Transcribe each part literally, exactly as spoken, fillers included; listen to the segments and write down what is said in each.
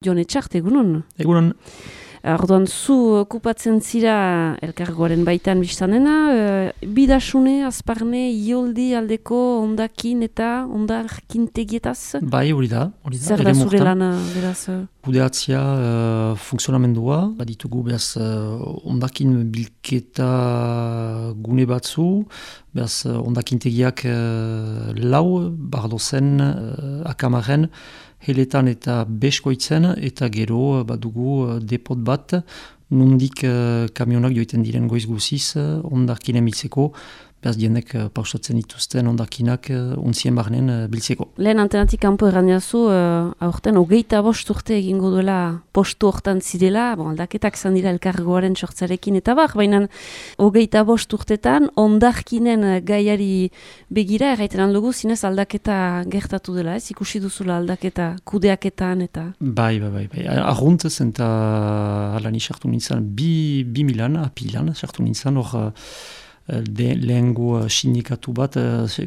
Jon Etxart, egunon? Egunon. Orduan, zu okupatzen zira elkargoaren baitan biztanena, e, bidasune, azparne, ioldi aldeko ondakin eta ondarkin tegietaz? Bai, hori da. Hori da. Zer da zure lana, beraz? Kudeatzia uh, funksionamendua, baditugu beraz uh, ondakin bilketa gune batzu, beraz uh, ondakintegiak uh, lau, bardozen, uh, akamaren, heletan eta beskoitzen, eta gero badugu uh, depot bat, nundik uh, kamionak joiten diren goiz guziz, uh, ondakinen biltzeko, beraz dienek uh, pausatzen dituzten ondakinak uh, untzien barnen uh, biltzeko. Lehen antenatik kanpo errandiazu, uh, aurten hogeita bost urte egingo duela postu hortan zirela, bon, aldaketak zan dira elkargoaren sortzarekin eta bar, baina hogeita bost urtetan ondarkinen gaiari begira erraiten handugu zinez aldaketa gertatu dela, ez? Ikusi duzula aldaketa kudeaketan eta... Bai, bai, bai, bai. Arrunt zen eta alani sartu nintzen bi, bi milan, apilan sartu nintzen hor de lehengo sindikatu bat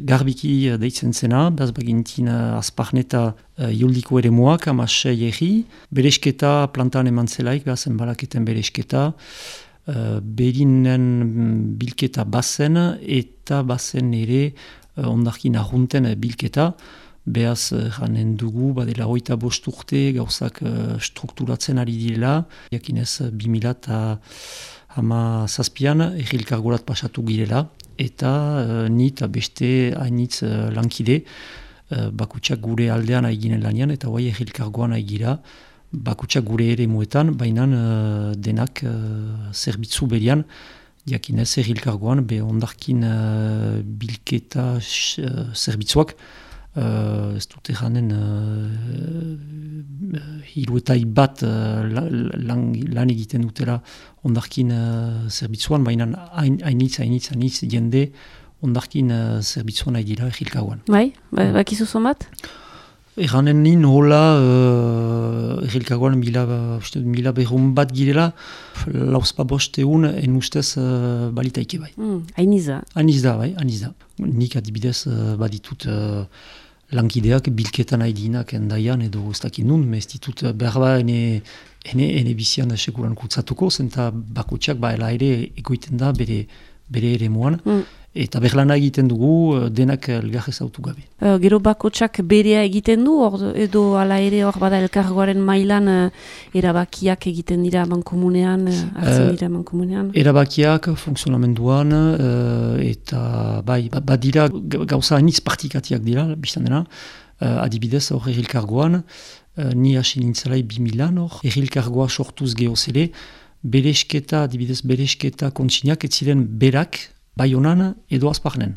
garbiki deitzen zena, behaz bagintin azparneta joldiko ere moak, amasei egi, beresketa plantan eman zelaik, behaz enbalaketen beresketa, berinen bilketa bazen eta bazen ere ondarkin arrunten bilketa, behaz janen dugu, badela hoita bost urte gauzak strukturatzen ari direla, jakinez bi mila eta hama zazpian errilkargorat pasatu girela, eta uh, ni eta beste hainitz uh, lankide, uh, bakutsak gure aldean aiginen lanian, eta guai errilkargoan aigira, bakutsak gure ere muetan, baina uh, denak uh, zerbitzu berian, jakinez errilkargoan, be ondarkin uh, bilketa uh, zerbitzuak, Uh, ez dute janen uh, hiruetai bat uh, lan, lan egiten dutela ondarkin uh, zerbitzuan, baina hainitz, hainitz, hainitz jende ondarkin uh, zerbitzuan nahi dira egilkagoan. Bai, ba, bakizu zomat? Erranen nin hola uh, egilkagoan mila, mila berrun bat girela, lauzpa bosteun en ustez uh, balitaike bai. Mm, hainiza. Hainiza, bai, hainiza. Nik adibidez uh, baditut uh, lankideak bilketan haidinak endaian edo ez dakit nun, ez ditut behar ba ene, ene, ene bizian sekuran kutsatuko, zenta bakotxak ba ere egoiten da bere, bere ere moan, mm. eta berlana egiten dugu denak elgarrez autu gabe. Uh, gero bakotxak berea egiten du, or, edo ala ere hor bada elkargoaren mailan uh, erabakiak egiten dira mankomunean, uh, hartzen dira mankomunean? Uh, erabakiak funksionamenduan, uh, eta bai, badira gauza hainitz partikatiak dira, biztan dena, uh, adibidez hor errilkargoan, uh, ni hasi nintzelai bi milan hor, errilkargoa sortuz geozele, beresketa, adibidez beresketa kontsinak, ez ziren berak, bai honan edo azparnen,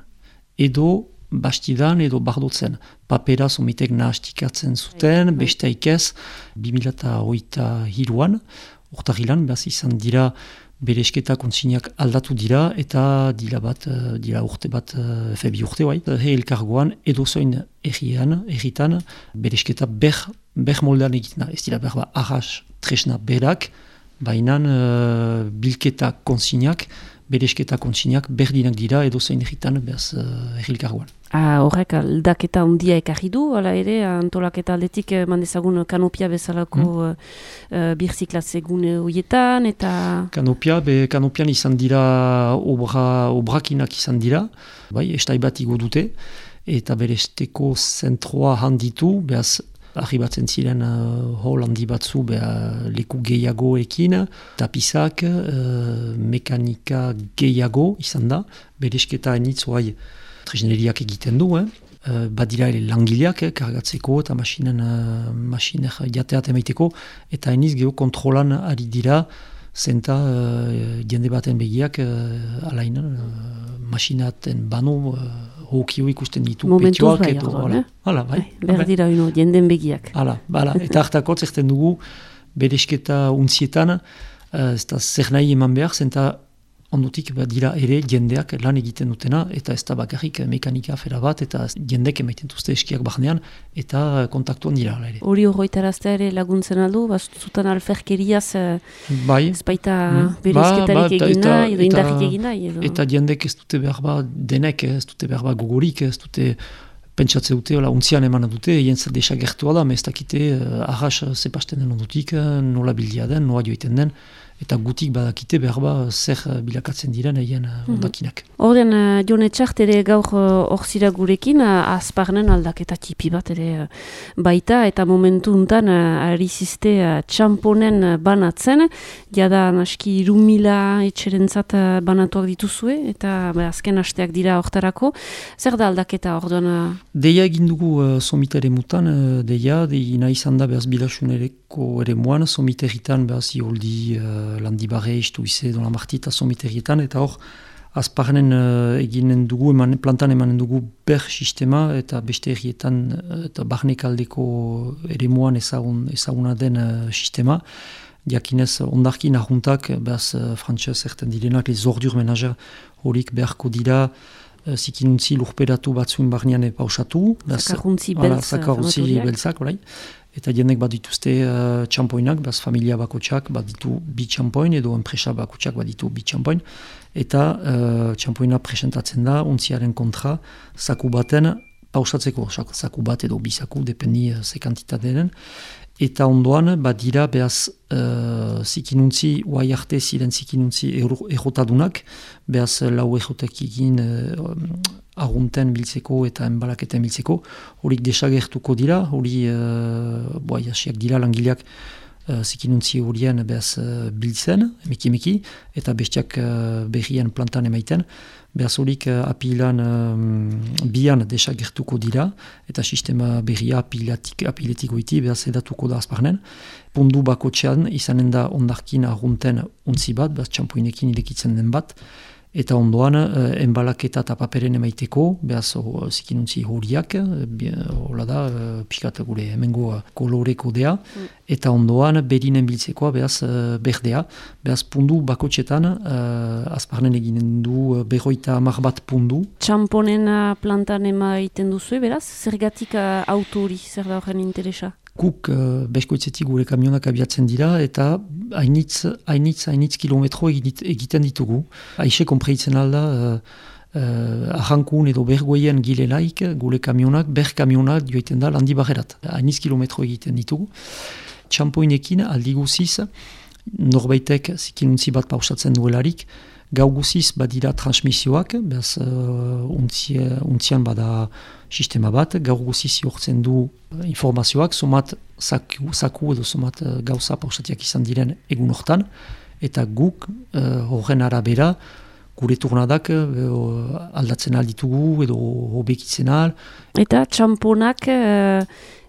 edo bastidan edo bardotzen. Papera somitek nahastikatzen zuten, besteik ez, bi mila hogeita hiruan, urtahilan, behaz izan dira beresketa kontsinak aldatu dira, eta dira bat, dira urte bat, febi urte bai. He elkargoan edo zoin errian, erritan, beresketa ber, ber moldean egiten da. Ez dira berba arras tresna berak, bainan uh, bilketa kontsinak, beresketa kontsinak berdinak dira edo zein erritan behaz uh, errilkargoan. Ah, horrek aldaketa handia ekarri du, ala ere, antolaketa aldetik mandezagun kanopia bezalako hmm. uh, birziklatze gune horietan, eta... Kanopia, be kanopian izan dira, obra, obrakinak izan dira, bai, estai bat igo dute, eta beresteko zentroa handitu, behaz, arribatzen ziren uh, hol handi batzu beha leku gehiagoekin, tapizak, uh, mekanika gehiago izan da, beresketa hainitz oai tresneriak egiten du, eh? uh, badira ere langileak eh, kargatzeko eta masinen, uh, masiner jateat emaiteko, eta hainitz geho kontrolan ari dira, zenta uh, jende baten begiak uh, alain uh, masinaten bano uh, hokio ikusten ditu petioak bai, edo, hala, eh? Hala, bai. Berdira ino, jenden begiak. Hala, bala, eta hartako zerten dugu beresketa untzietan, uh, ez da zer nahi eman behar, zenta ondotik dira ere jendeak lan egiten dutena, eta ez da bakarrik mekanika afera bat, eta jendek emaiten duzte eskiak barnean, eta kontaktuan dira. Ere. Hori horretaraztea ere laguntzen aldu, zutan alferkeriaz bai. Ez baita berezketarik ba, ba, egin nahi, edo indarrik egin nahi. Edo. Eta jendek ez dute behar ba, denek ez dute behar ba gogorik, ez dute pentsatze dute, hola, untzian eman dute, egin zer desagertua da, ez dakite uh, arras zepasten den ondutik, nola bildia den, nola joiten den, eta gutik badakite behar ba zer bilakatzen diren egin uh, ondakinak. Horren, uh, Jon Etxart ere gaur hor uh, zira gurekin, uh, azparnen aldaketa tipi bat ere uh, baita, eta momentu untan uh, ari ziste uh, txamponen uh, banatzen, jada naski irumila etxerentzat uh, banatuak dituzue, eta ba, azken hasteak dira hortarako. Zer da aldaketa orduan? Uh... Deia egin dugu uh, somita ere mutan, uh, deia, dei nahi izan da behaz bilasunereko ere muan, somiterritan behaz ioldi uh, Landibarre, Istuize, Don Lamartita, somiterrietan, eta hor, azparnen uh, eginen dugu, eman, plantan emanen dugu ber sistema, eta beste herrietan, uh, eta barnekaldeko ere muan ezagun, ezaguna den uh, sistema. Diakinez, ondarkin ahuntak, behaz uh, frantxez erten direnak, les ordures menager horik beharko dira, uh, zikinuntzi lurperatu batzuen barnean pausatu. Zakarruntzi beltz. Zakarruntzi beltzak, orai. Eta jendek bat dituzte uh, txampoinak, behaz familia bakotxak bat ditu bi txampoin, edo enpresa bakotxak bat ditu bi txampoin. Eta uh, txampoina presentatzen da, ontziaren kontra, zaku baten pausatzeko, zaku bat edo bi zaku, dependi uh, ze kantitate den. Eta ondoan, bat dira, behaz, uh, zikinuntzi, uai arte ziren zikinuntzi errotadunak, behaz, lau errotak egin uh, argunten biltzeko eta enbalaketen biltzeko, horik desagertuko dira, hori, uh, boa, jasiak dira langileak uh, zikinuntzi horien behaz uh, biltzen, emeki emeki, eta bestiak uh, berrien plantan emaiten, behaz horik uh, apilan um, bian desagertuko dira, eta sistema berria apiletiko iti behaz edatuko da azparnen. Pundu bakotxean izanen da ondarkin argunten untzi bat, behaz txampoinekin irekitzen den bat, eta ondoan uh, enbalaketa eta paperen emaiteko, behaz uh, zikinuntzi horiak, hola da, uh, pikat gure hemengo uh, koloreko dea, mm. eta ondoan berinen biltzekoa, behaz uh, berdea, behaz pundu bakotxetan, uh, azparnen eginen du uh, berroita hamar bat pundu. Txamponen uh, plantan emaiten duzu, beraz? Zergatik uh, auto hori, zer da horren interesa? Guk uh, beskoitzetik gure kamionak abiatzen dira eta hainitz, hainitz, hainitz kilometro egiten ditugu. Aixe konpreitzen alda, uh, uh, arrankun edo bergoien gilelaik gure kamionak, ber kamionak joiten da Landibarrerat. Hainitz kilometro egiten ditugu. Txampoinekin aldi guziz, norbaitek zikinuntzi bat pausatzen duelarik, gau guziz badira transmisioak, behaz uh, untzi, untzian bada sistema bat, gaur guziz jortzen du informazioak, somat zaku, zaku edo somat uh, gauza pausatiak izan diren egun hortan, eta guk uh, horren arabera gure turnadak uh, aldatzen alditugu edo hobekitzen al. Eta txamponak uh,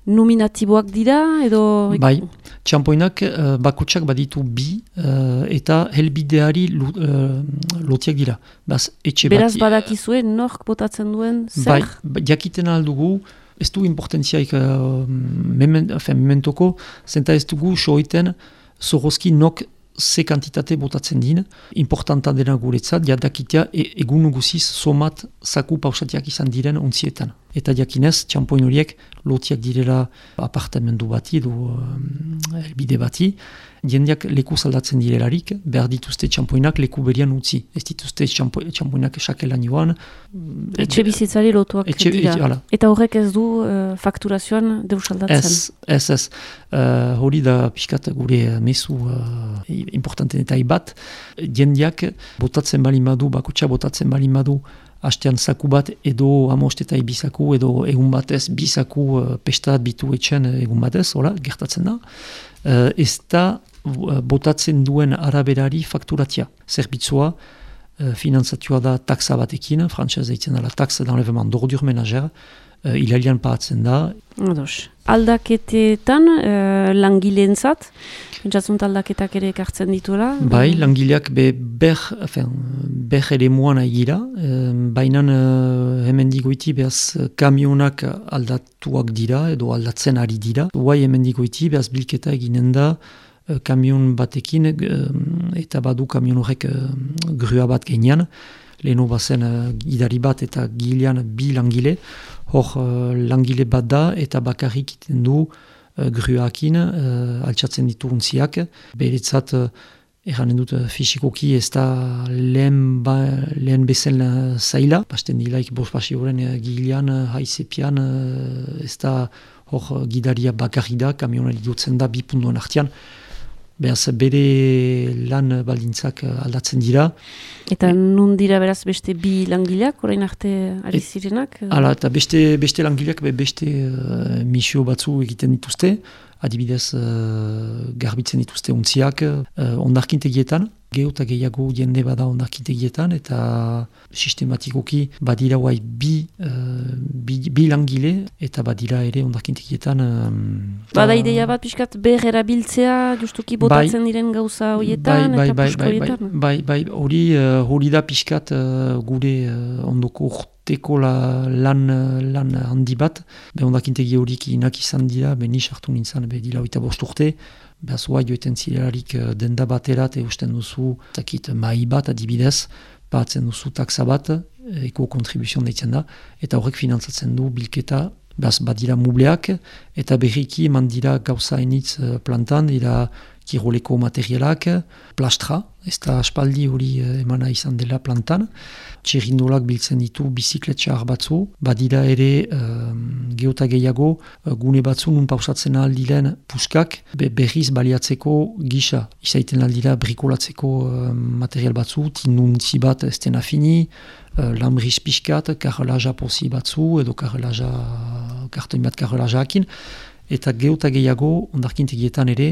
nominatiboak dira edo... Bai, txampoinak uh, bakotsak baditu bi uh, eta helbideari uh, lotiak dira. Baz, etxe Beraz bati, badakizue nork botatzen duen zer? Bai, jakiten aldugu, ez du importantziaik uh, mementoko, zenta ez dugu soiten zorozki nok ze kantitate botatzen din, importanta dena guretzat, jadakitea e, egun guziz somat zaku pausatiak izan diren ontzietan. Eta jakinez, txampoin horiek lotiak direla apartamendu bati edo um, bide bati, jendeak leku zaldatzen direlarik, behar dituzte txampoinak leku berian utzi. Ez dituzte txampo, txampoinak esakelan joan. Etxe bizitzari lotuak etxe, dira. Etxe, eta horrek ez du uh, fakturazioan deus aldatzen? Ez, ez, ez. Uh, hori da pixkat gure mezu uh, importanten eta ibat. Jendeak botatzen balin badu, bakotxa botatzen balin badu, hastean zaku bat edo amostetai bizaku edo egun batez bizaku uh, pestat bitu etxen egun batez, hola, gertatzen da. Uh, ez da uh, botatzen duen araberari fakturatia. Zerbitzua uh, finanzatua da taxa batekin, frantzaz deitzen dela taxa d'enlèvement d'ordures ménagères, uh, hilarian paatzen da. Ados. Aldaketetan uh, langileentzat, pentsatzunt aldaketak ere ekartzen dituela? Bai, langileak be ber, enfin, ber ere muan aigira, uh, baina uh, hemen digoiti behaz kamionak aldatuak dira edo aldatzen ari dira. Guai hemen digoiti behaz bilketa eginen da uh, kamion batekin uh, eta badu kamion horrek uh, grua bat genian. Leheno bazen uh, gidari bat eta gilean bi langile, hor uh, langile bat da eta bakarrik iten du uh, gruakin uh, altsatzen ditu untziak. Beretzat uh, Erranen dut fisikoki ez da lehen, ba, lehen bezen zaila. Basten dilaik bost pasioren gilean, haizepian, ez da hor gidaria bakarri da, kamionari dutzen da bi puntuan artean. Beraz, bere lan baldintzak aldatzen dira. Eta nun dira beraz beste bi langileak, orain arte ari zirenak? Hala, eta beste, beste langileak be beste uh, misio batzu egiten dituzte. Adibidez, uh, garbitzen dituzte untziak uh, ondarkintegietan. Geho eta gehiago jende bada ondarkintegietan, eta sistematikoki badira guai bi, uh, bi, bi langile, eta badira ere ondarkintegietan. Um, Bada ideia bat pixkat ber erabiltzea, justuki botatzen bai, diren gauza horietan, bai, eta bai, pusko bai, horietan? Bai, bai, hori uh, hori da pixkat uh, gure uh, ondoko urteko la, lan, lan handi bat. Be ondakintegi horik inak izan dira, be nis hartu nintzen, be dila oita bost urte. Behaz hoa joeten zirelarik denda baterat eusten duzu takit mai bat adibidez, batzen duzu taksa bat, eko kontribuzion deitzen da, eta horrek finantzatzen du bilketa, behaz badira mubleak, eta berriki eman dira gauza enitz plantan, dira kiroleko materialak, plastra, ez da aspaldi hori emana izan dela plantan, txerrindolak biltzen ditu bizikletxar batzu, badira ere um, geota gehiago gune batzu nun pausatzen aldiren puskak be, berriz baliatzeko gisa. Izaiten aldira brikolatzeko uh, material batzu, tinuntzi bat ez dena fini, uh, lambriz pixkat, karrelaja pozi batzu, edo karrelaja, kartoin bat karrelaja hakin, eta geota gehiago ondarkintegietan ere,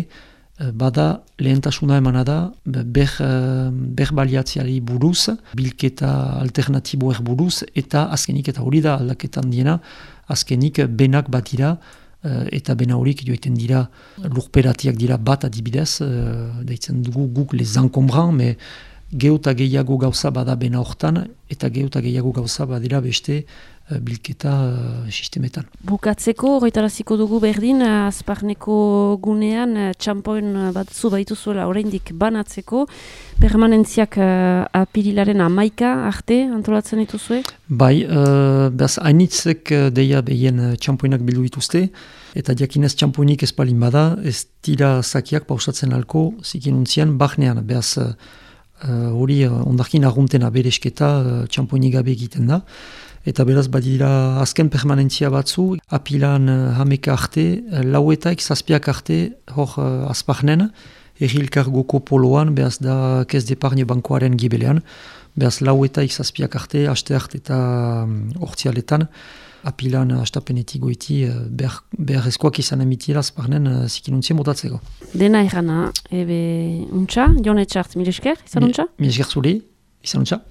bada lehentasuna emana da ber, ber baliatziari buruz, bilketa alternatiboer buruz, eta azkenik eta hori da aldaketan diena, azkenik benak bat dira, eta bena horik joiten dira lurperatiak dira bat adibidez, deitzen dugu guk les encombrants, me geota gehiago gauza bada bena hortan, eta geota gehiago gauza badira beste bilketa uh, sistemetan. Bukatzeko, horretaraziko dugu berdin, azparneko gunean, txampoen batzu baituzuela oraindik banatzeko, permanentziak uh, apirilaren amaika arte antolatzen dituzue? Bai, uh, behaz hainitzek deia behien txampoenak bildu dituzte, eta diakinez txampoenik ez palin bada, ez dira zakiak pausatzen alko zikinuntzian bahnean, behaz hori uh, uh, ondarkin arguntena beresketa uh, txampoenik gabe egiten da. Eta beraz badira azken permanentzia batzu, apilan uh, hameka arte, uh, lauetaik zazpiak arte hor uh, azparnen, errilkargoko poloan, beraz da kez deparne bankoaren gibelean, beraz lauetaik zazpiak arte, haste arte eta um, ortsialetan, apilan hastapenetik goiti uh, behar, behar ezkoak izan emitiela azparnen uh, zikinuntzien botatzeko. Dena errana, ebe untxa, Jon Etxart, mil esker, izan untxa? Mil esker zuri, izan untxa.